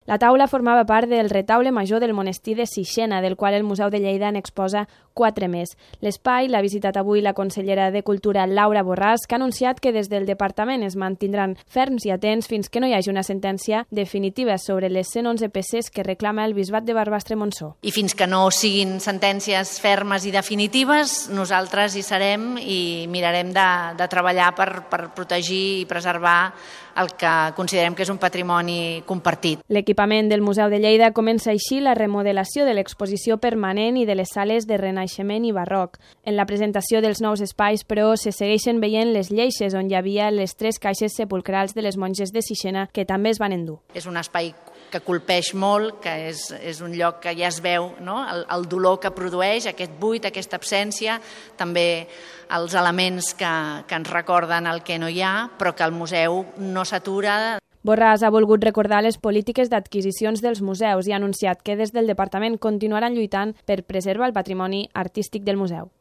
La taula formava part del retaule major del monestir de Sixena, del qual el Museu de Lleida n'exposa 4 més. L'espai l'ha visitat avui la consellera de Cultura Laura Borràs, que ha anunciat que des del departament es mantindran ferms i atents fins que no hi hagi una sentència definitiva sobre les 111 peces que reclama el bisbat de Barbastre-Montsó. I fins que no siguin sentències fermes i definitives, nosaltres hi serem i mirarem de treballar per protegir i preservar el que considerem que és un patrimoni compartit. L'equipament del Museu de Lleida comença així la remodelació de l'exposició permanent i de les sales de Renaixement i Barroc. En la presentació dels nous espais, però, se segueixen veient les lleixes on hi havia les 3 caixes sepulcrals de les monges de Sixena, que també es van endur. És un espai que colpeix molt, que és un lloc que ja es veu, no? El dolor que produeix, aquest buit, aquesta absència, també els elements que ens recorden el que no hi ha, però que el museu no s'atura. Borràs ha volgut recordar les polítiques d'adquisicions dels museus i ha anunciat que des del departament continuaran lluitant per preservar el patrimoni artístic del museu.